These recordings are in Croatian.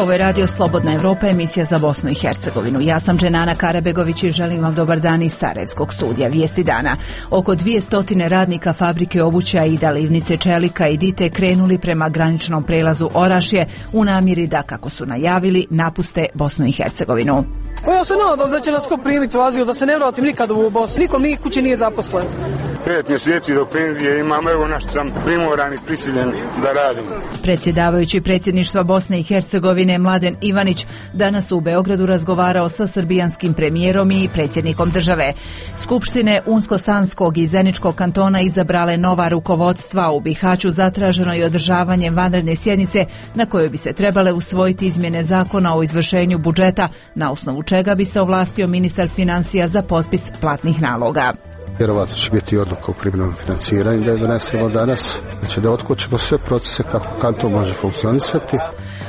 Ovo je Radio Slobodna Evropa, emisija za Bosnu i Hercegovinu. Ja sam Dženana Karabegović i želim vam dobar dan iz Sarajevskog studija. Vijesti dana. Oko 200 radnika fabrike obuća i Livnice čelika i Dite krenuli prema graničnom prelazu Orašje u namjeri da, kako su najavili, napuste Bosnu i Hercegovinu. Ja se nadam da će nas ko primiti u azil, da se ne vratim nikad u Bosnu. Niko mi kuće nije zaposlen. 5 mjeseci do penzije imam, evo našto sam primoran i prisiljen da radim. Predsjedavajući predsjedništva Bosne i Hercegovine Mladen Ivanić danas u Beogradu razgovarao sa srbijanskim premijerom i predsjednikom države. Skupštine Unsko-Sanskog i Zeničkog kantona izabrale nova rukovodstva. U Bihaću zatraženo je održavanje vanredne sjednice na kojoj bi se trebale usvojiti izmjene zakona o izvršenju budžeta, na osnovu čega bi se ovlastio ministar financija za potpis platnih naloga. Vjerovatno će biti odluka o privremenom financiranju da je donesemo danas, znači da otkočimo sve procese kako kanton može funkcionisati.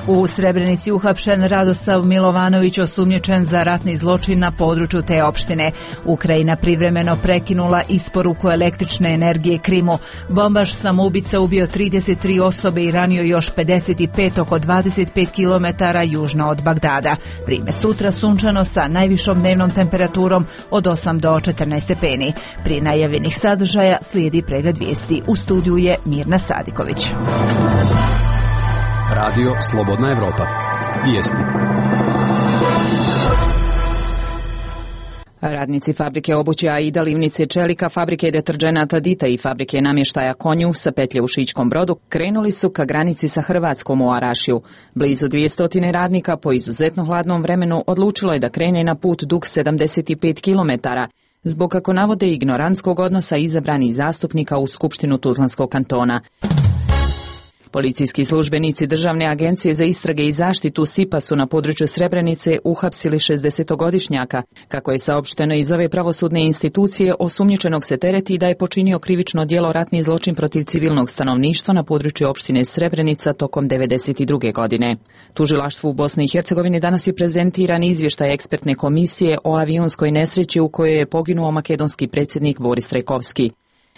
U Srebrenici uhapšen Radosav Milovanović, osumnjičen za ratni zločin na području te opštine. Ukrajina privremeno prekinula isporuku električne energije Krimu. Bombaš samoubica ubio 33 osobe i ranio još 55 oko 25 km južno od Bagdada. Vrime sutra sunčano sa najvišom dnevnom temperaturom od 8 do 14 stepeni. Prije najavljenih sadržaja slijedi pregled vijesti. U studiju je Mirna Sadiković. Radio Slobodna Evropa. Vijesti. Radnici fabrike obuća i Livnice čelika, fabrike deterdženata Dita i fabrike namještaja Konju sa petlje u Šičkom Brodu krenuli su ka granici sa Hrvatskom u Arašiju. Blizu 200 radnika po izuzetno hladnom vremenu odlučilo je da krene na put dug 75 km, zbog, kako navode, ignorantskog odnosa izabranih zastupnika u Skupštinu Tuzlanskog kantona. Policijski službenici Državne agencije za istrage i zaštitu SIPA su na području Srebrenice uhapsili 60-godišnjaka. Kako je saopšteno iz ove pravosudne institucije, osumnjičenog se tereti da je počinio krivično djelo ratni zločin protiv civilnog stanovništva na području opštine Srebrenica tokom 1992. godine. Tužilaštvu u Bosni i Hercegovini danas je prezentiran izvještaj ekspertne komisije o avionskoj nesreći u kojoj je poginuo makedonski predsjednik Boris Trajkovski.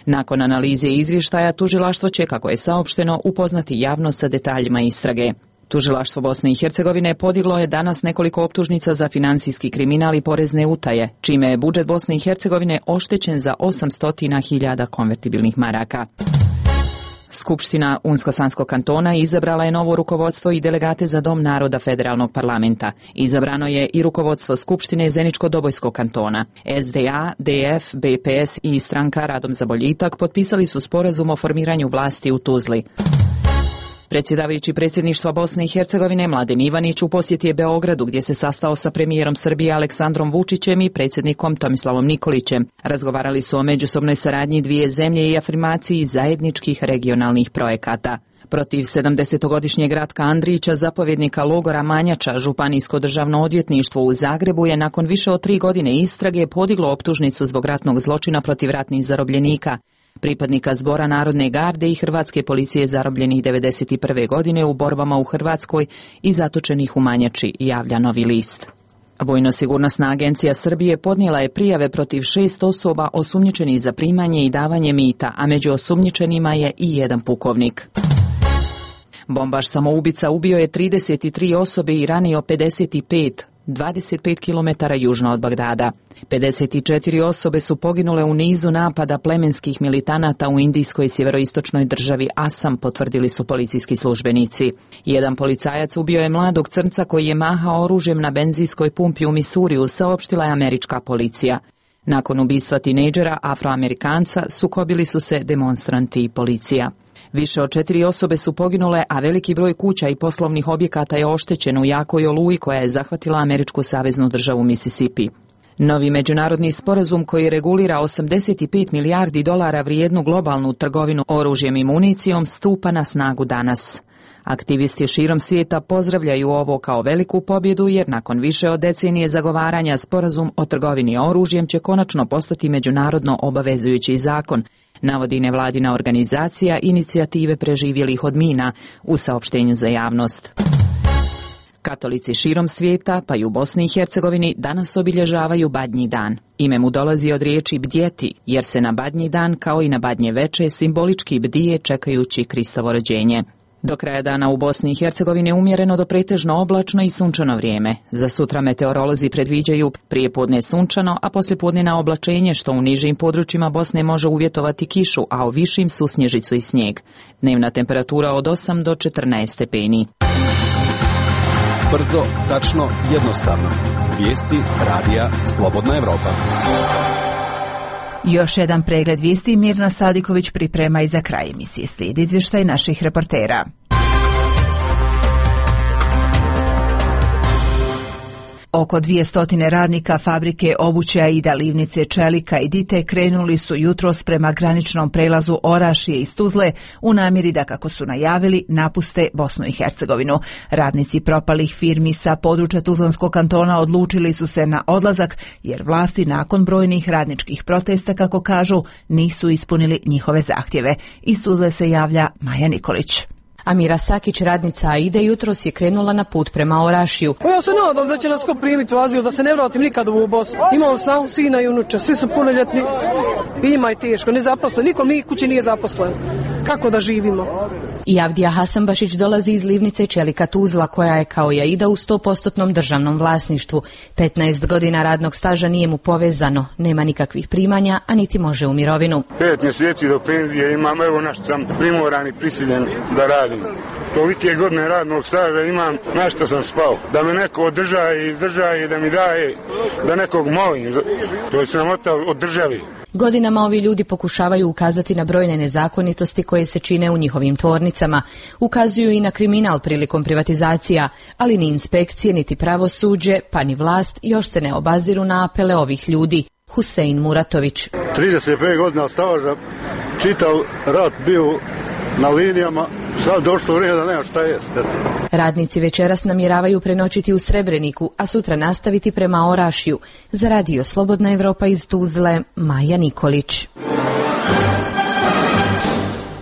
Nakon analize izvještaja, tužilaštvo će, kako je saopšteno, upoznati javnost sa detaljima istrage. Tužilaštvo Bosne i Hercegovine podiglo je danas nekoliko optužnica za financijski kriminal i porezne utaje, čime je budžet Bosne i Hercegovine oštećen za 800.000 konvertibilnih maraka. Skupština Unsko-Sanskog kantona izabrala je novo rukovodstvo i delegate za Dom naroda federalnog parlamenta. Izabrano je i rukovodstvo Skupštine Zeničko-Dobojskog kantona. SDA, DF, BPS i stranka Radom za boljitak potpisali su sporazum o formiranju vlasti u Tuzli. Predsjedavajući predsjedništva Bosne i Hercegovine Mladen Ivanić u posjeti je Beogradu, gdje se sastao sa premijerom Srbije Aleksandrom Vučićem i predsjednikom Tomislavom Nikolićem. Razgovarali su o međusobnoj saradnji dvije zemlje i afirmaciji zajedničkih regionalnih projekata. Protiv 70-godišnjeg Ratka Andrića, zapovjednika logora Manjača, Županijsko državno odvjetništvo u Zagrebu je nakon više od 3 godine istrage podiglo optužnicu zbog ratnog zločina protiv ratnih zarobljenika, pripadnika Zbora Narodne garde i Hrvatske policije zarobljenih 1991. godine u borbama u Hrvatskoj i zatočenih u Manjači, javlja Novi list. Vojno-sigurnosna agencija Srbije podnijela je prijave protiv 6 osoba osumnjičenih za primanje i davanje mita, a među osumnjičenima je i jedan pukovnik. Bombaš samoubica ubio je 33 osobe i ranio 25 km južno od Bagdada. 54 osobe su poginule u nizu napada plemenskih militanata u indijskoj sjeveroistočnoj državi Asam, potvrdili su policijski službenici. Jedan policajac ubio je mladog crnca koji je mahao oružjem na benzinskoj pumpi u Misuriju, saopštila je američka policija. Nakon ubistva tinejdžera Afroamerikanca sukobili su se demonstranti i policija. Više od 4 osobe su poginule, a veliki broj kuća i poslovnih objekata je oštećen u jakoj oluji koja je zahvatila američku saveznu državu Mississippi. Novi međunarodni sporazum koji regulira 85 milijardi dolara vrijednu globalnu trgovinu oružjem i municijom stupa na snagu danas. Aktivisti širom svijeta pozdravljaju ovo kao veliku pobjedu jer nakon više od decenije zagovaranja sporazum o trgovini oružjem će konačno postati međunarodno obavezujući zakon, navodi nevladina organizacija Inicijative preživjelih od mina u saopštenju za javnost. Katolici širom svijeta, pa i u Bosni i Hercegovini, danas obilježavaju Badnji dan. Ime mu dolazi od riječi bdjeti, jer se na Badnji dan, kao i na Badnje veče, simbolički bdije čekajući Kristovo rođenje. Do kraja dana u Bosni i Hercegovini je umjereno do pretežno oblačno i sunčano vrijeme. Za sutra meteorolozi predviđaju prijepodne sunčano, a poslijepodne oblačenje, što u nižim područjima Bosne može uvjetovati kišu, a u višim susnježicu i snijeg. Dnevna temperatura od 8 do 14 stepeni. Brzo, tačno, jednostavno. Vijesti radija Slobodna Evropa. Još jedan pregled vijesti Mirna Sadiković priprema i za kraj emisije. Slijedi izvještaj naših reportera. Oko 200 radnika fabrike obuće Aida, Livnice, Čelika i Dite krenuli su jutros prema graničnom prelazu Orašje iz Tuzle u namjeri da, kako su najavili, napuste Bosnu i Hercegovinu. Radnici propalih firmi sa područja Tuzlanskog kantona odlučili su se na odlazak jer vlasti nakon brojnih radničkih protesta, kako kažu, nisu ispunili njihove zahtjeve. Iz Tuzle se javlja Maja Nikolić. Amira Sakić, radnica Aide, jutros je krenula na put prema Orašiju. Ja se nadam da će nas ko primiti u azil, da se ne vratim nikad u Bosnu. Imam sam sina i unuče, svi su punoljetni i njima je teško, nezaposlen. Niko mi kući nije zaposlen. Kako da živimo? I Avdija Hasanbašić dolazi iz Livnice Čelika Tuzla, koja je kao i Aida u 100% državnom vlasništvu. 15 godina radnog staža nije mu povezano, nema nikakvih primanja, a niti može u mirovinu. 5 mjeseci do penzije imam, evo našto sam primoran i prisiljen da radim. Tolike godine radnog staža imam, na što sam spao. Da me neko izdrža i da mi daje, da nekog molim. To je sramota od države. Godinama ovi ljudi pokušavaju ukazati na brojne nezakonitosti koje se čine u njihovim tvornicama. Ukazuju i na kriminal prilikom privatizacija, ali ni inspekcije, niti pravosuđe, pa ni vlast još se ne obaziru na apele ovih ljudi. Husein Muratović. 35 godina staža, čitav rat bio na linijama, sad došlo vrijeme da nema šta jest. Radnici večeras namjeravaju prenoćiti u Srebreniku, a sutra nastaviti prema Orašju. Za radio Slobodna Evropa iz Tuzle, Maja Nikolić.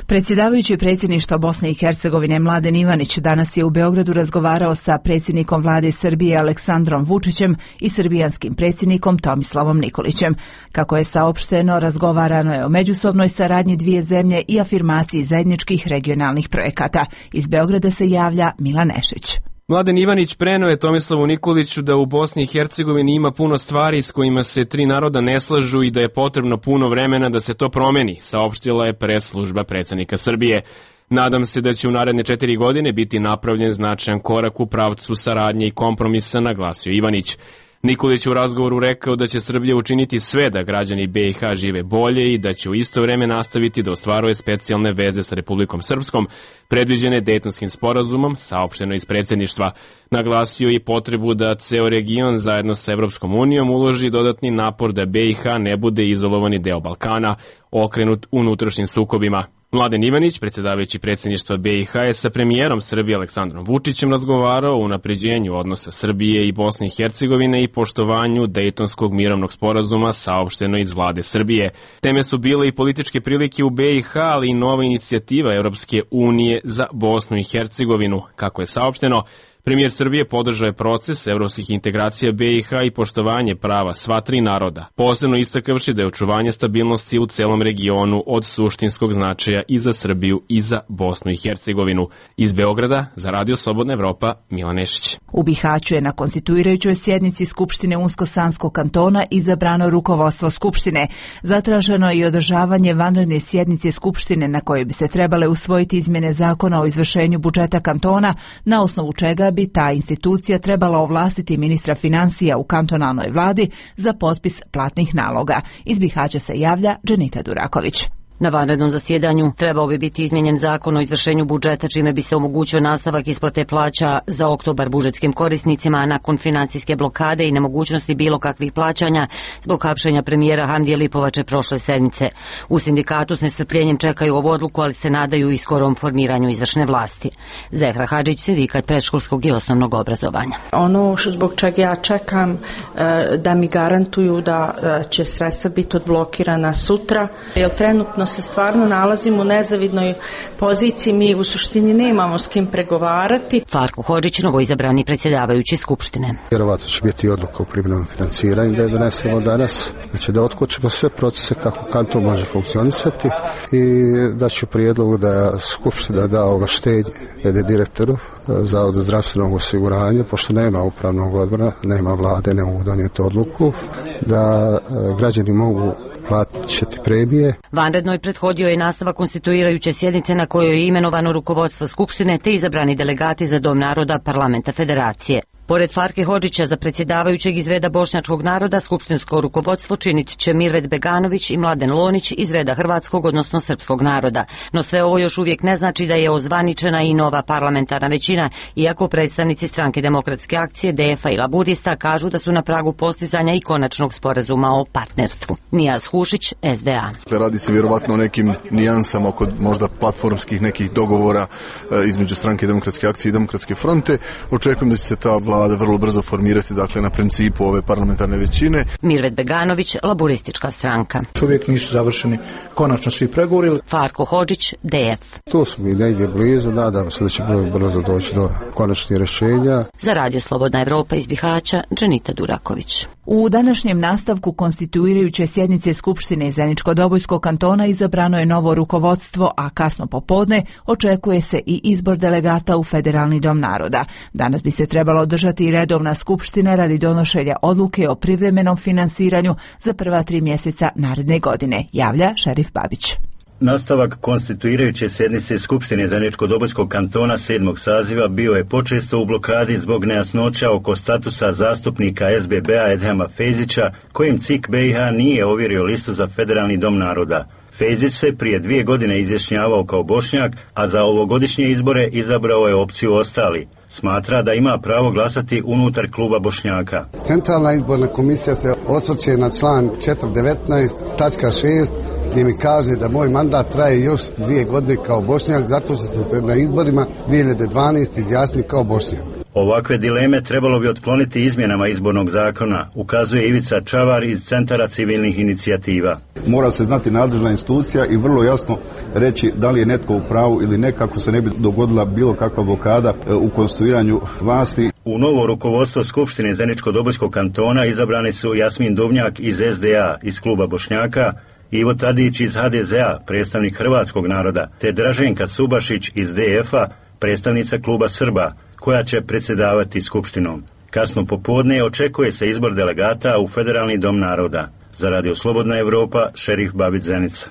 Predsjedavajući predsjedništva Bosne i Hercegovine Mladen Ivanić danas je u Beogradu razgovarao sa predsjednikom vlade Srbije Aleksandrom Vučićem i srbijanskim predsjednikom Tomislavom Nikolićem. Kako je saopšteno, razgovarano je o međusobnoj saradnji dvije zemlje i afirmaciji zajedničkih regionalnih projekata. Iz Beograda se javlja Milan Nešić. Mladen Ivanić preneo je Tomislavu Nikoliću da u Bosni i Hercegovini ima puno stvari s kojima se tri naroda ne slažu i da je potrebno puno vremena da se to promeni, saopštila je pres služba predsjednika Srbije. Nadam se da će u naredne 4 godine biti napravljen značajan korak u pravcu saradnje i kompromisa, naglasio Ivanić. Nikolić u razgovoru rekao da će Srbija učiniti sve da građani BiH žive bolje i da će u isto vrijeme nastaviti da ostvaruje specijalne veze sa Republikom Srpskom, predviđene Dejtonskim sporazumom, saopšteno iz predsjedništva. Naglasio je i potrebu da ceo region zajedno sa Evropskom unijom uloži dodatni napor da BiH ne bude izolovani deo Balkana, okrenut unutrašnjim sukobima. Mladen Ivanić, predsjedavajući predsjedništva BiH, je sa premijerom Srbije Aleksandrom Vučićem razgovarao o unapređenju odnosa Srbije i Bosne i Hercegovine i poštovanju Dejtonskog mirovnog sporazuma, saopšteno iz vlade Srbije. Teme su bile i političke prilike u BiH, ali i nova inicijativa Europske unije za Bosnu i Hercegovinu. Kako je saopšteno, premijer Srbije podržao je proces evropskih integracija BiH i poštovanje prava sva tri naroda, posebno istakavši da je očuvanje stabilnosti u celom regionu od suštinskog značaja i za Srbiju i za Bosnu i Hercegovinu. Iz Beograda, za radio Slobodna Evropa, Milan Nešić. U Bihaću je na konstituirajućoj sjednici Skupštine Unsko-Sanskog kantona izabrano rukovodstvo Skupštine. Zatraženo je i održavanje vanredne sjednice Skupštine na kojoj bi se trebale usvojiti izmjene zakona o izvršenju budžeta kantona, na osnovu čega bi ta institucija trebala ovlastiti ministra financija u kantonalnoj vladi za potpis platnih naloga. Iz Bihaća se javlja Dženita Duraković. Na vanrednom zasjedanju trebao bi biti izmijenjen zakon o izvršenju budžeta, čime bi se omogućio nastavak isplate plaća za oktobar budžetskim korisnicima, a nakon financijske blokade i nemogućnosti bilo kakvih plaćanja zbog hapšenja premijera Hamdije Lipovače prošle sedmice. U sindikatu s nestrpljenjem čekaju ovu odluku, ali se nadaju i skorom formiranju izvršne vlasti. Zehra Hadžić, sindikat predškolskog i osnovnog obrazovanja. Ono zbog čega ja čekam da mi garantuju da će sredstva biti odblokirana sutra, jer trenutno se stvarno nalazimo u nezavidnoj poziciji, mi u suštini nemamo s kim pregovarati. Farko Hodžić, novoizabrani predsjedavajući Skupštine. Vjerovatno će biti odluka o privremenom financiranju da je donesemo danas, znači da otkočimo sve procese kako kanton može funkcionisati i da ću prijedlogu da Skupština da ovlaštenje direktoru Zavoda zdravstvenog osiguranja, pošto nema upravnog odbora, nema vlade, ne mogu donijeti odluku, da građani mogu plaćati premije. Vanrednoj prethodio je nastavak konstituirajuće sjednice na kojoj je imenovano rukovodstvo Skupštine te izabrani delegati za Dom naroda Parlamenta Federacije. Pored Farke Hodžića za predsjedavajućeg iz reda bošnjačkog naroda, skupštinsko rukovodstvo činit će Mirvet Beganović i Mladen Lonić iz reda hrvatskog, odnosno srpskog naroda. No sve ovo još uvijek ne znači da je ozvaničena i nova parlamentarna većina, iako predstavnici Stranke demokratske akcije, DF-a i Laburista kažu da su na pragu postizanja i konačnog sporazuma o partnerstvu. Nijaz Hušić, SDA. Radi se vjerovatno o nekim nijansama oko možda platformskih nekih dogovora između Stranke demokratske akcije i Demokratske fronte. Očekujem da će se ta vlada vrlo brzo formirati, dakle, na principu ove parlamentarne većine. Mirvet Beganović, Laburistička stranka. Uvijek nisu završeni konačno svi pregovori. Farko Hodžić, DF. Tu smo i negdje blizu, nadam se da će brzo doći do konačnih rješenja. Za Radio Slobodna Evropa iz Bihaća, Dženita Duraković. U današnjem nastavku konstituirajuće sjednice Skupštine Zeničko-Dobojskog kantona izabrano je novo rukovodstvo, a kasno popodne očekuje se i izbor delegata u Federalni dom naroda. Danas bi se trebalo održati i redovna skupština radi donošenja odluke o privremenom finansiranju za prva 3 mjeseca naredne godine, javlja Šerif Babić. Nastavak konstituirajuće sjednice Skupštine Zeničko-Dobojskog kantona 7. saziva bio je počesto u blokadi zbog nejasnoća oko statusa zastupnika SBB-a Edhema Fejzića, kojim CIK BiH nije ovjerio listu za Federalni dom naroda. Fejzić se prije 2 godine izjašnjavao kao Bošnjak, a za ovogodišnje izbore izabrao je opciju ostali. Smatra da ima pravo glasati unutar kluba Bošnjaka. Centralna izborna komisija se osvrće na član 419.6 gdje mi kaže da moj mandat traje još 2 godine kao Bošnjak, zato što sam se na izborima 2012 izjasnio kao Bošnjak. Ovakve dileme trebalo bi otkloniti izmjenama izbornog zakona, ukazuje Ivica Čavar iz Centara civilnih inicijativa. Mora se znati nadležna institucija i vrlo jasno reći da li je netko u pravu ili ne, kako se ne bi dogodila bilo kakva blokada u konstituiranju vlasti. U novo rukovodstvo Skupštine Zeničko-Dobojskog kantona izabrani su Jasmin Duvnjak iz SDA iz kluba Bošnjaka, Ivo Tadić iz HDZ-a, predstavnik hrvatskog naroda, te Draženka Subašić iz DF-a, predstavnica kluba Srba, koja će predsjedavati skupštinom. Kasno popodne očekuje se izbor delegata u Federalni dom naroda. Za Radio Slobodna Evropa, Šerif Babić, Zenica.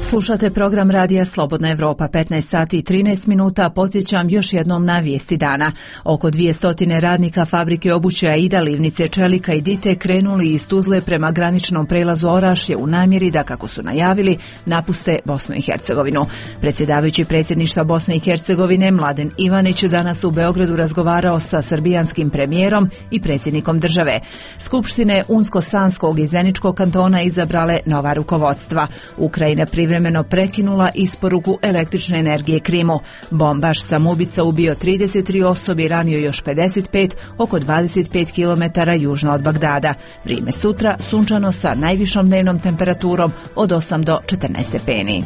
Slušate program Radija Slobodna Evropa, 15 sati i 13 minuta. Podsjećam još jednom na vijesti dana. Oko 200 radnika fabrike obuće Aida, Livnice, Čelika i Dite krenuli iz Tuzle prema graničnom prelazu Orašje u namjeri da, kako su najavili, napuste Bosnu i Hercegovinu. Predsjedavajući predsjedništva Bosne i Hercegovine Mladen Ivanić danas u Beogradu razgovarao sa srbijanskim premijerom i predsjednikom države. Skupštine Unsko-Sanskog i Zeničkog kantona izabrale nova rukovodstva. Ukrajina privremeno prekinula isporuku električne energije Krimu. Bombaš samoubica ubio 33 osobe i ranio još 55, oko 25 km južno od Bagdada. Vrijeme sutra sunčano sa najvišom dnevnom temperaturom od 8 do 14 stepeni.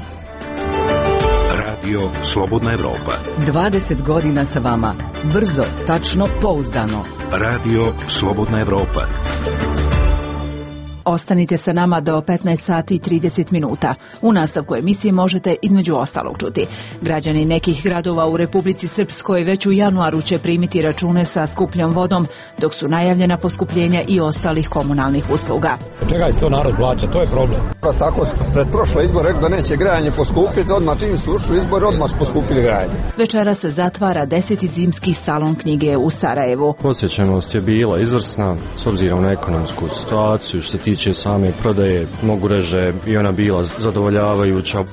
Radio Slobodna Evropa. 20 godina sa vama. Brzo, tačno, pouzdano. Radio Slobodna Evropa. Ostanite sa nama do 15 sati i 30 minuta. U nastavku emisije možete između ostalog čuti. Građani nekih gradova u Republici Srpskoj već u januaru će primiti račune sa skupljom vodom, dok su najavljena poskupljenja i ostalih komunalnih usluga. Čega se to narod plaća, to je problem. Tako pred prošle izbore rekao da neće grajanje poskupiti, odmah čim su ušli izbori, odmah su poskupili grajanje. Večera se zatvara 10. zimski salon knjige u Sarajevu. Posjećenost je bila izvrsna, s obzirom na ekonomsku situaciju, što se tiče same prodaje, mogu reći da je i ona bila zadovoljavajuća.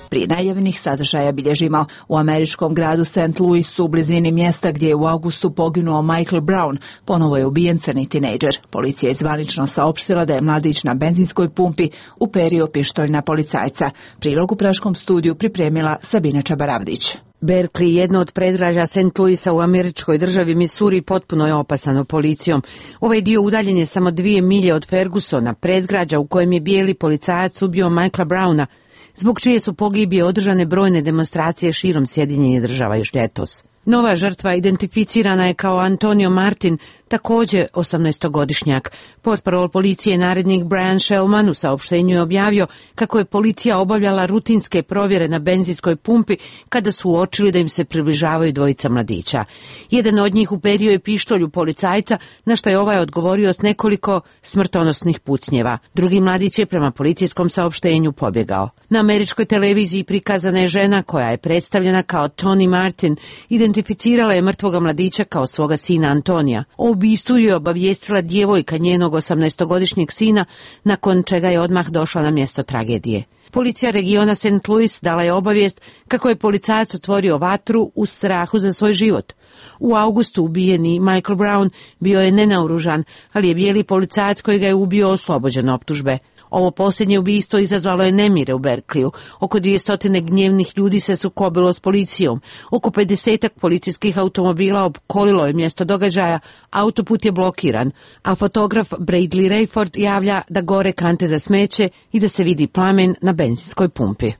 Prije najavljenih sadržaja bilježimo u američkom gradu St. Louisu u blizini mjesta gdje je u augustu poginuo Michael Brown. Ponovo je ubijen crni tinejdžer. Policija je zvanično saopštila da je mladić na benzinskoj pumpi uperio pištolj na policajca. Prilog u Praškom studiju pripremila Sabina Čabaravdić. Berkeley, jedno od predgrađa St. Louisa u američkoj državi Missouri, potpuno je opasano policijom. Ovaj dio udaljen je samo 2 milje od Fergusona, predgrađa u kojem je bijeli policajac ubio Michaela Browna, zbog čije su pogibije održane brojne demonstracije širom Sjedinjenih Država još ljetos. Nova žrtva identificirana je kao Antonio Martin, također 18-godišnjak. Portparol policije narednik Brian Shellman u saopštenju je objavio kako je policija obavljala rutinske provjere na benzinskoj pumpi kada su uočili da im se približavaju dvojica mladića. Jedan od njih uperio je pištolju policajca, na što je ovaj odgovorio s nekoliko smrtonosnih pucnjeva. Drugi mladić je prema policijskom saopštenju pobjegao. Na američkoj televiziji prikazana je žena koja je predstavljena kao Tony Martin, identificirala je mrtvoga mladića kao svoga sina Antonija. O ubistvu je obavijestila djevojka njenog 18-godišnjeg sina, nakon čega je odmah došla na mjesto tragedije. Policija regiona St. Louis dala je obavijest kako je policajac otvorio vatru u strahu za svoj život. U augustu ubijeni Michael Brown bio je nenaoružan, ali je bijeli policajac koji ga je ubio oslobođen optužbe. Ovo posljednje ubistvo izazvalo je nemire u Berkeleyu. Oko 200 gnjevnih ljudi se sukobilo s policijom. Oko 50 policijskih automobila opkolilo je mjesto događaja, autoput je blokiran, a fotograf Bradley Rayford javlja da gore kante za smeće i da se vidi plamen na benzinskoj pumpi.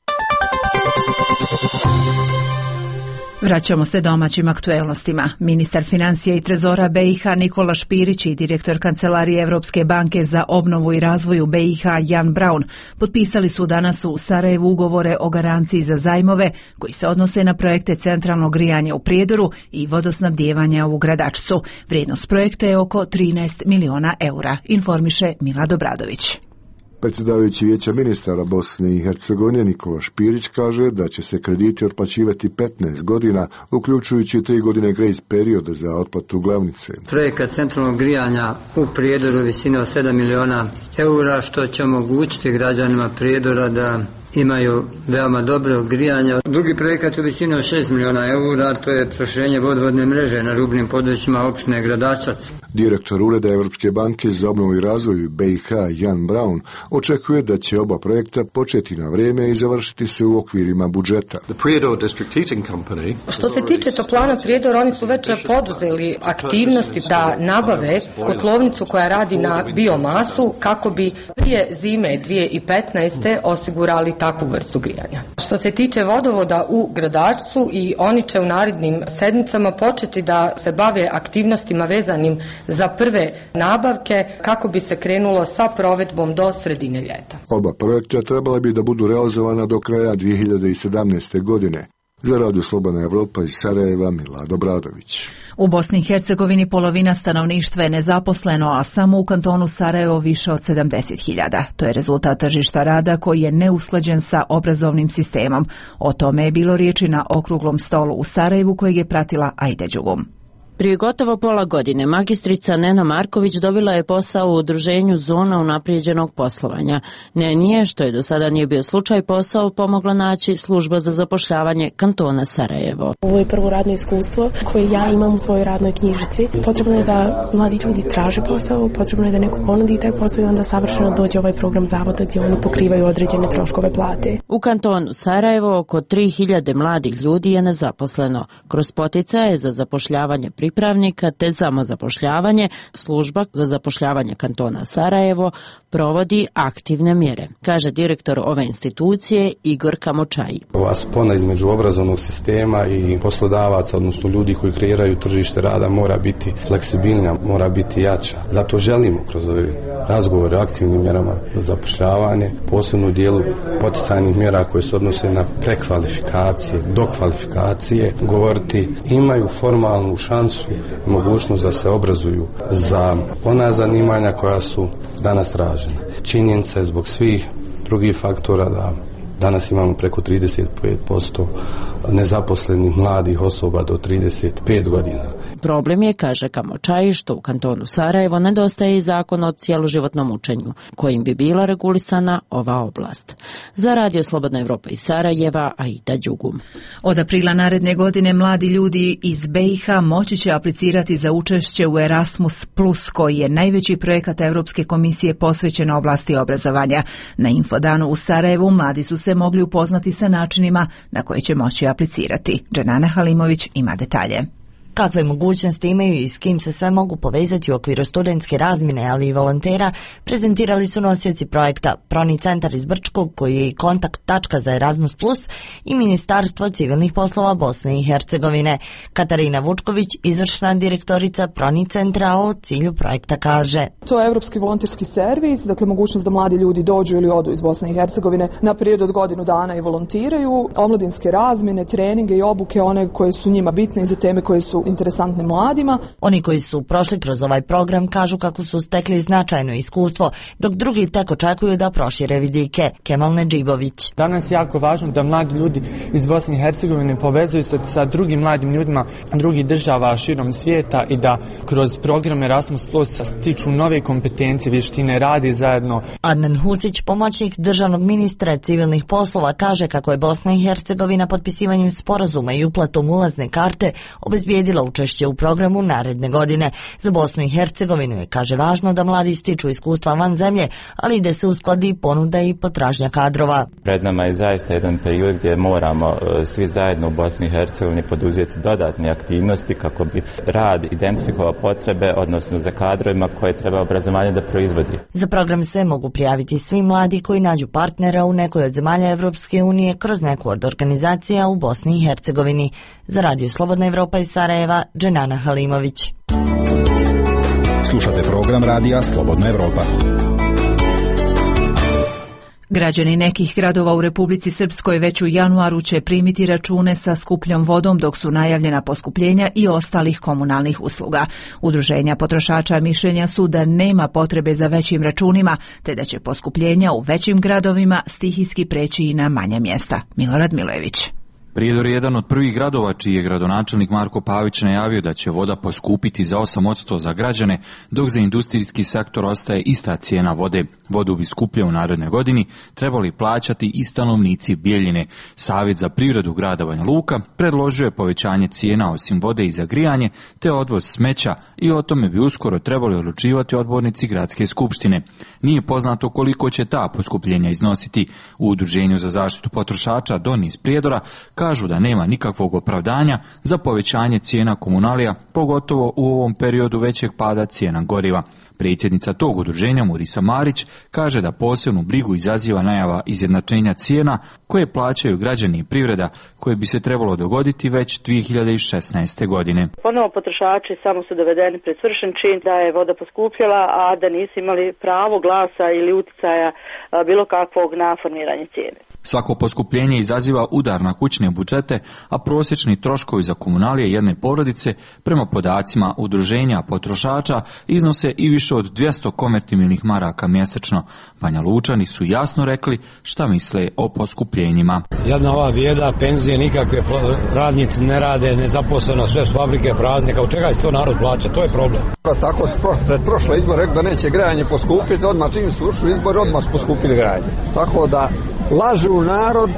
Vraćamo se domaćim aktuelnostima. Ministar financija i trezora BiH Nikola Špirić i direktor Kancelarije Evropske banke za obnovu i razvoj u BiH Jan Braun potpisali su danas u Sarajevu ugovore o garanciji za zajmove koji se odnose na projekte centralnog grijanja u Prijedoru i vodosnabdijevanja u Gradačcu. Vrijednost projekta je oko 13 miliona eura, informiše Milad Obradović. Predsjedavajući Vijeća ministara Bosne i Hercegovine Nikola Špirić kaže da će se krediti otplaćivati 15 godina, uključujući 3 godine grace perioda za otplatu glavnice. Projekat centralnog grijanja u Prijedoru visine od 7 miliona eura, što će omogućiti građanima Prijedora da imaju veoma dobro grijanje. Drugi projekat u visini od 6 miliona eura, to je proširenje vodovodne mreže na rubnim područjima opštine Gradačac. Direktor Ureda Evropske banke za obnovu i razvoj BiH Jan Braun očekuje da će oba projekta početi na vrijeme i završiti se u okvirima budžeta. Što se tiče toplana Prijedor, oni su već poduzeli aktivnosti da nabave kotlovnicu koja radi na biomasu kako bi prije zime 2015. osigurali takvu vrstu grijanja. Što se tiče vodovoda u Gradačcu, i oni će u narednim sedmicama početi da se bave aktivnostima vezanim za prve nabavke kako bi se krenulo sa provedbom do sredine ljeta. Oba projekta trebala bi da budu realizovana do kraja 2017. godine. Za Radio Slobodna Evropa iz Sarajeva, Milad Obradović. U Bosni i Hercegovini polovina stanovništva je nezaposleno, a samo u kantonu Sarajevo više od 70.000. To je rezultat tržišta rada koji je neusklađen sa obrazovnim sistemom. O tome je bilo riječi na okruglom stolu u Sarajevu kojeg je pratila Ajde Đugum. Prije gotovo pola godine magistrica Nena Marković dobila je posao u udruženju Zona unaprijeđenog poslovanja. Neni, što je do sada nije bio slučaj, posao pomogla naći služba za zapošljavanje kantona Sarajevo. Ovo je prvo radno iskustvo koje ja imam u svojoj radnoj knjižici. Potrebno je da mladi ljudi traže posao, potrebno je da neko ponudi taj posao i onda savršeno dođe ovaj program zavoda gdje oni pokrivaju određene troškove plate. U kantonu Sarajevo oko 3000 mladih ljudi je nezaposleno. Kroz poticaje za zapošljavanje pripravnika te samozapošljavanje, služba za zapošljavanje kantona Sarajevo provodi aktivne mjere, kaže direktor ove institucije Igor Kamočaji. Ova spona između obrazovnog sistema i poslodavaca, odnosno ljudi koji kreiraju tržište rada, mora biti fleksibilnija, mora biti jača. Zato želimo kroz ove razgovore o aktivnim mjerama za zapošljavanje, posebno u dijelu poticajnih mjera koje se odnose na prekvalifikacije, dokvalifikacije, govoriti imaju formalnu šansu i mogućnost da se obrazuju za ona zanimanja koja su danas tražena. Činjenica je zbog svih drugih faktora da danas imamo preko 35% nezaposlenih mladih osoba do 35 godina. Problem je, kaže Kamočaj, što u kantonu Sarajevo nedostaje i zakon o cjeloživotnom učenju, kojim bi bila regulisana ova oblast. Za Radio Slobodna Evropa iz Sarajeva, Aida Đugum. Od aprila naredne godine mladi ljudi iz BiH moći će aplicirati za učešće u Erasmus+, koji je najveći projekat Europske komisije posvećen oblasti obrazovanja. Na Infodanu u Sarajevu mladi su se mogli upoznati sa načinima na koje će moći aplicirati. Dženana Halimović ima detalje. Kakve mogućnosti imaju i s kim se sve mogu povezati u okviru studentske razmjene, ali i volontera, prezentirali su nosioci projekta Proni centar iz Brčkog, koji je i kontakt tačka za Erasmus+, i Ministarstvo civilnih poslova Bosne i Hercegovine. Katarina Vučković, izvršna direktorica Proni centra, o cilju projekta kaže: To je Evropski volonterski servis, dakle mogućnost da mladi ljudi dođu ili odu iz Bosne i Hercegovine na period od godinu dana i volontiraju, omladinske razmjene, treninge i obuke, one koje su njima bitne i za teme koje su interesantne mladima. Oni koji su prošli kroz ovaj program kažu kako su stekli značajno iskustvo, dok drugi tek očekuju da prošire vidike. Kemal Nedžibović. Danas je jako važno da mladi ljudi iz Bosne i Hercegovine povezuju se sa drugim mladim ljudima drugih država širom svijeta i da kroz program Erasmus Plus stiču nove kompetencije, vještine, radi zajedno. Adnan Husić, pomoćnik državnog ministra civilnih poslova, kaže kako je Bosna i Hercegovina potpisivanjem sporazuma i uplatom ulazne karte obezbijedila učešće u programu naredne godine. Za Bosnu i Hercegovinu je, kaže, važno da mladi stiču iskustva van zemlje, ali da se uskladi ponuda i potražnja kadrova. Pred nama je zaista jedan period gdje moramo svi zajedno u Bosni i Hercegovini poduzeti dodatne aktivnosti kako bi rad identifikovao potrebe, odnosno za kadrovima koje treba obrazovanje da proizvodi. Za program se mogu prijaviti svi mladi koji nađu partnera u nekoj od zemalja Evropske unije kroz neku od organizacija u Bosni i Hercegovini. Za Radio Slobodna Evropa iz Sarajeva, Dženana Halimović. Slušate program Radija Slobodna Evropa. Građani nekih gradova u Republici Srpskoj već u januaru će primiti račune sa skupljom vodom, dok su najavljena poskupljenja i ostalih komunalnih usluga. Udruženja potrošača mišljenja su da nema potrebe za većim računima, te da će poskupljenja u većim gradovima stihijski preći i na manja mjesta. Milorad Milojević. Prijedor je jedan od prvih gradova čiji je gradonačelnik Marko Pavić najavio da će voda poskupiti za 8% za građane, dok za industrijski sektor ostaje ista cijena vode. Vodu bi skuplje u narednoj godini trebali plaćati i stanovnici Bijeljine. Savjet za privredu grada Banja Luka predložio je povećanje cijena osim vode i za grijanje, te odvoz smeća, i o tome bi uskoro trebali odlučivati odbornici gradske skupštine. Nije poznato koliko će ta poskupljenja iznositi. U Udruženju za zaštitu potrošača Doni iz Prijedora kažu da nema nikakvog opravdanja za povećanje cijena komunalija, pogotovo u ovom periodu većeg pada cijena goriva. Predsjednica tog udruženja Murisa Marić kaže da posebnu brigu izaziva najava izjednačenja cijena koje plaćaju građani i privreda, koje bi se trebalo dogoditi već 2016. godine. Ponovo potrošači samo su dovedeni pred svršen čin da je voda poskupjela, a da nisu imali pravo glasa ili uticaja bilo kakvog na formiranje cijene. Svako poskupljenje izaziva udar na kućne budžete, a prosječni troškovi za komunalije jedne porodice prema podacima udruženja potrošača iznose i više od 200 konvertibilnih maraka mjesečno. Banja Lučani su jasno rekli šta misle o poskupljenjima. Jedna ova bijeda, penzije nikakve, radnici ne rade, nezaposleno, sve su fabrike prazne, kao čega će to narod plaća, to je problem. Tako pred prošle izbore rekao da neće grajanje poskupiti, odmah čim su ušli izbori, odmah su poskupili grajanje. Tako da lažu narod,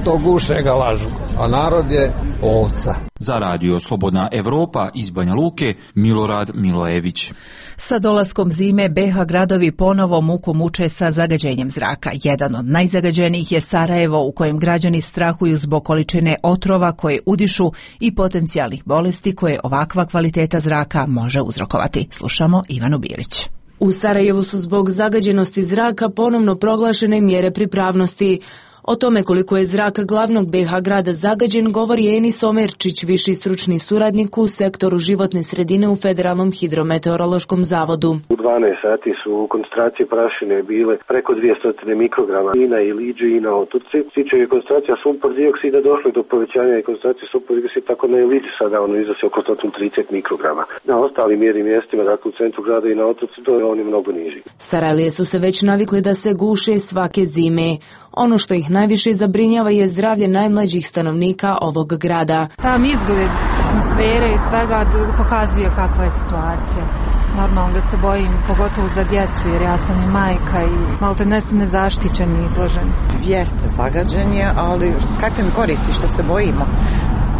do guše ga lažu, a narod je ovca. Za Radio Slobodna Evropa iz Banja Luke, Milorad Milojević. Sa dolaskom zime BiH gradovi ponovo muku muče sa zagađenjem zraka. Jedan od najzagađenijih je Sarajevo, u kojem građani strahuju zbog količine otrova koje udišu i potencijalnih bolesti koje ovakva kvaliteta zraka može uzrokovati. Slušamo Ivanu Bilić. U Sarajevu su zbog zagađenosti zraka ponovno proglašene mjere pripravnosti. O tome koliko je zrak glavnog BiH grada zagađen govori Enis Omerčić, viši stručni suradnik u sektoru životne sredine u Federalnom hidrometeorološkom zavodu. U 12 sati su koncentracije prašine bile preko 200 mikrograma i na Iliđi i na Otoci. Stiče je koncentracija sumpor dioksida došlo do povećanja i koncentracije sumpor dioksida, tako na Iliđi sada ono iznosi oko 130 mikrograma. Na ostalim mjernim mjestima, dakle u centru grada i na Otoci, to je oni mnogo niži. Sarajlije su se već navikli da se guše svake zime. Ono što ih najviše zabrinjava je zdravlje najmlađih stanovnika ovog grada. Sam izgled atmosfere i svega pokazuje kakva je situacija. Normalno da se bojim, pogotovo za djecu, jer ja sam i majka i maltene su nezaštićeni, izloženi. Jeste zagađenje, ali kakve mi koristi što se bojimo?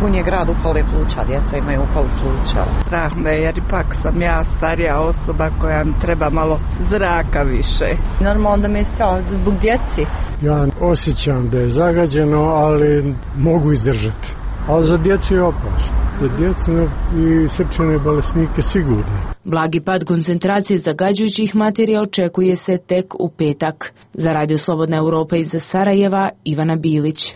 Pun je grad upale pluća, djeca imaju upalu pluća. Strah me, jer ipak sam ja starija osoba koja mi treba malo zraka više. Normalno da me je strah zbog djeci. Ja osjećam da je zagađeno, ali mogu izdržati. Ali za djecu je opasno. Za djecu i srčane bolesnike sigurno. Blagi pad koncentracije zagađujućih materija očekuje se tek u petak. Za Radio Slobodna Europa iz Sarajeva, Ivana Bilić.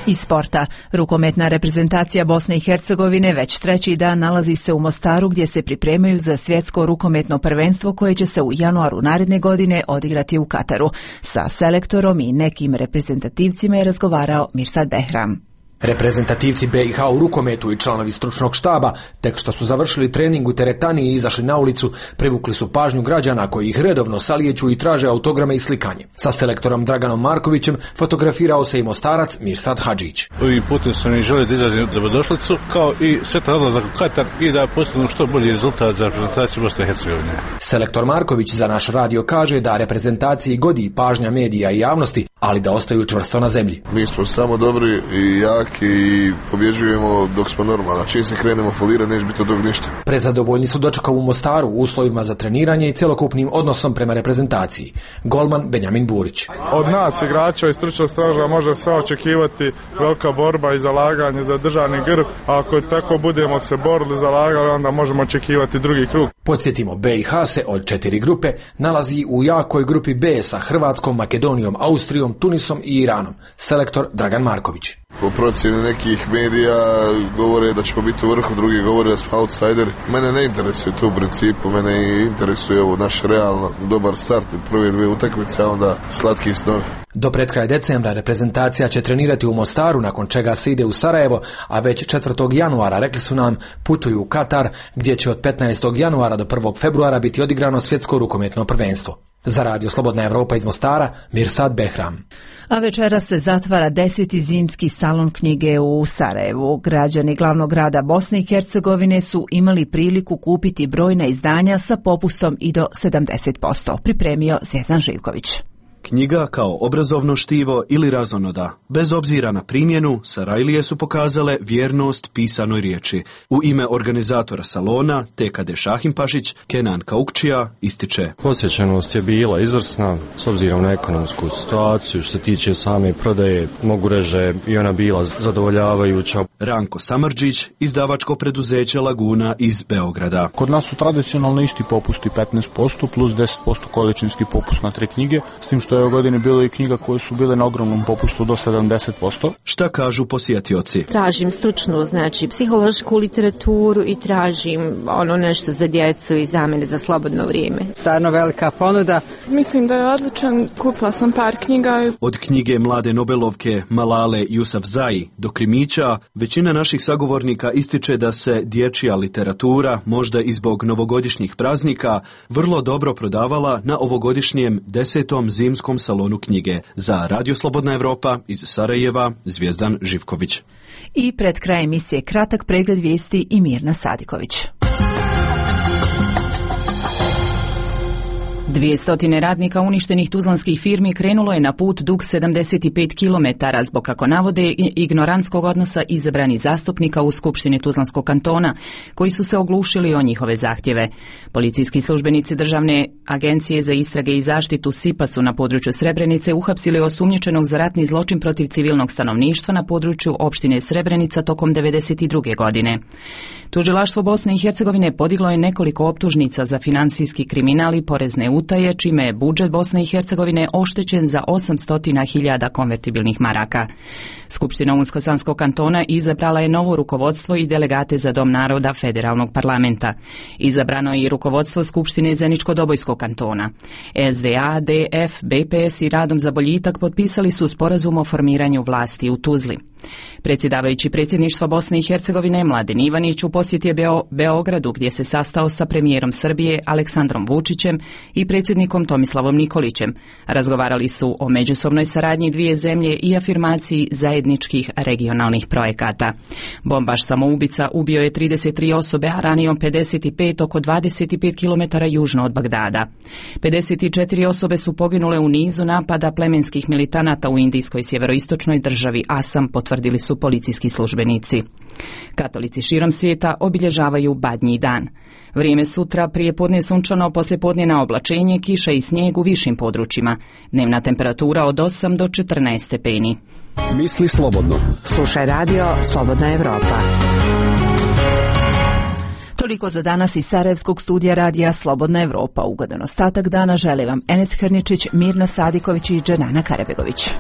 Iz sporta. Rukometna reprezentacija Bosne i Hercegovine već treći dan nalazi se u Mostaru gdje se pripremaju za svjetsko rukometno prvenstvo koje će se u januaru naredne godine odigrati u Kataru. Sa selektorom i nekim reprezentativcima je razgovarao Mirsad Behram. Reprezentativci BiH u rukometu i članovi stručnog štaba, tek što su završili trening u teretani i izašli na ulicu, privukli su pažnju građana koji ih redovno salijeću i traže autograme i slikanje. Sa selektorom Draganom Markovićem fotografirao se i Mostarac Mirsad Hadžić. Ovim putem sam i želio da izrazim dobrodošlicu, kao i sretan odlazak u Katar i da postignu što bolji rezultat za reprezentaciju Bosne i Hercegovine. Selektor Marković za naš radio kaže da reprezentaciji godi pažnja medija i javnosti, ali da ostaju čvrsto na zemlji. Mi smo samo dobri i jaki i pobjeđujemo dok smo normalni. Čim se krenemo folirati, neće biti od tog ništa. Prezadovoljni su dočekali u Mostaru u uslovima za treniranje i cjelokupnim odnosom prema reprezentaciji. Golman Benjamin Burić. Od nas, igrača i stručnog straža, može se očekivati velika borba i zalaganje za državni grb. A ako tako budemo se borili, zalagali, onda možemo očekivati drugi krug. Podsjetimo, BiH se od 4 grupe nalazi u jakoj grupi B sa Hrvatskom, Makedonijom, Austrijom, Tunisom i Iranom. Selektor Dragan Marković. Po procjeni nekih medija govore da ćemo biti u vrhu, drugi govore da smo outsideri. Mene ne interesuje to u principu, mene interesuje ovo naš realno dobar start, prve 2 utakmice, a onda slatki snovi. Do pred kraj decembra reprezentacija će trenirati u Mostaru, nakon čega se ide u Sarajevo, a već 4. januara, rekli su nam, putuju u Katar, gdje će od 15. januara do 1. februara biti odigrano svjetsko rukometno prvenstvo. Za Radio Slobodna Europa iz Mostara, Mirsad Behram. A večera se zatvara 10. zimski salon knjige u Sarajevu. Građani glavnog grada Bosne i Hercegovine su imali priliku kupiti brojna izdanja sa popustom i do 70%. Pripremio Zvjezdan Živković. Knjiga kao obrazovno štivo ili razonoda. Bez obzira na primjenu, Sarajlije su pokazale vjernost pisanoj riječi. U ime organizatora salona, TKD Šahimpašić, Kenan Kaukčija ističe. Posjećenost je bila izvrsna, s obzirom na ekonomsku situaciju, što se tiče same prodaje, mogu reći i ona bila zadovoljavajuća. Ranko Samardžić, izdavačko preduzeće Laguna iz Beograda. Kod nas su tradicionalno isti popusti 15% plus 10% količinski popust na 3 knjige, s tim što je ove godine bilo i knjiga koje su bile na ogromnom popustu do 70%. Šta kažu posjetioci? Tražim stručnu, znači psihološku literaturu i tražim nešto za djecu i za mene za slobodno vrijeme. Stvarno velika ponuda. Mislim da je odličan, kupila sam par knjiga. Od knjige mlade Nobelovke Malale Yousafzai do krimića, većina naših sagovornika ističe da se dječja literatura, možda i zbog novogodišnjih praznika, vrlo dobro prodavala na ovogodišnjem 10. zimskom salonu knjige. Za Radio Slobodna Europa iz Sarajeva, Zvjezdan Živković. I pred kraj emisije kratak pregled vijesti i Mirna Sadiković. 200 radnika uništenih tuzlanskih firmi krenulo je na put dug 75 km zbog, kako navode, ignorantskog odnosa izabranih zastupnika u Skupštini Tuzlanskog kantona, koji su se oglušili o njihove zahtjeve. Policijski službenici Državne agencije za istrage i zaštitu SIPA su na području Srebrenice uhapsili osumnjičenog za ratni zločin protiv civilnog stanovništva na području opštine Srebrenica tokom 1992. godine. Tužilaštvo Bosne i Hercegovine podiglo je nekoliko optužnica za financijski kriminal i porezne utaje, čime je budžet Bosne i Hercegovine oštećen za 800.000 konvertibilnih maraka. Skupština Unsko-Sanskog kantona izabrala je novo rukovodstvo i delegate za Dom naroda federalnog parlamenta. Izabrano je i rukovodstvo Skupštine Zeničko-Dobojskog kantona. SDA, DF, BPS i Radom za boljitak potpisali su sporazum o formiranju vlasti u Tuzli. Predsjedavajući predsjedništva Bosne i Hercegovine Mladen Ivanić u posjeti je Beogradu gdje se sastao sa premijerom Srbije Aleksandrom Vučićem i predsjednikom Tomislavom Nikolićem. Razgovarali su o međusobnoj saradnji dvije zemlje i afirmaciji zajedničkih regionalnih projekata. Bombaš samoubica ubio je 33 osobe, a ranio 55 oko 25 km južno od Bagdada. 54 osobe su poginule u nizu napada plemenskih militanata u indijskoj sjeveroistočnoj državi Asam, potvrdili su policijski službenici. Katolici širom svijeta obilježavaju Badnji dan. Vrijeme sutra, prijepodne sunčano, poslijepodne na oblačenje, kiša i snijeg u višim područjima. Dnevna temperatura od 8 do 14 stepeni. Misli slobodno. Slušaj radio Slobodna Evropa. Toliko za danas iz Sarajevskog studija radija Slobodna Evropa. Ugodan ostatak dana žele vam Enes Hrničić, Mirna Sadiković i Dženana Karabegović.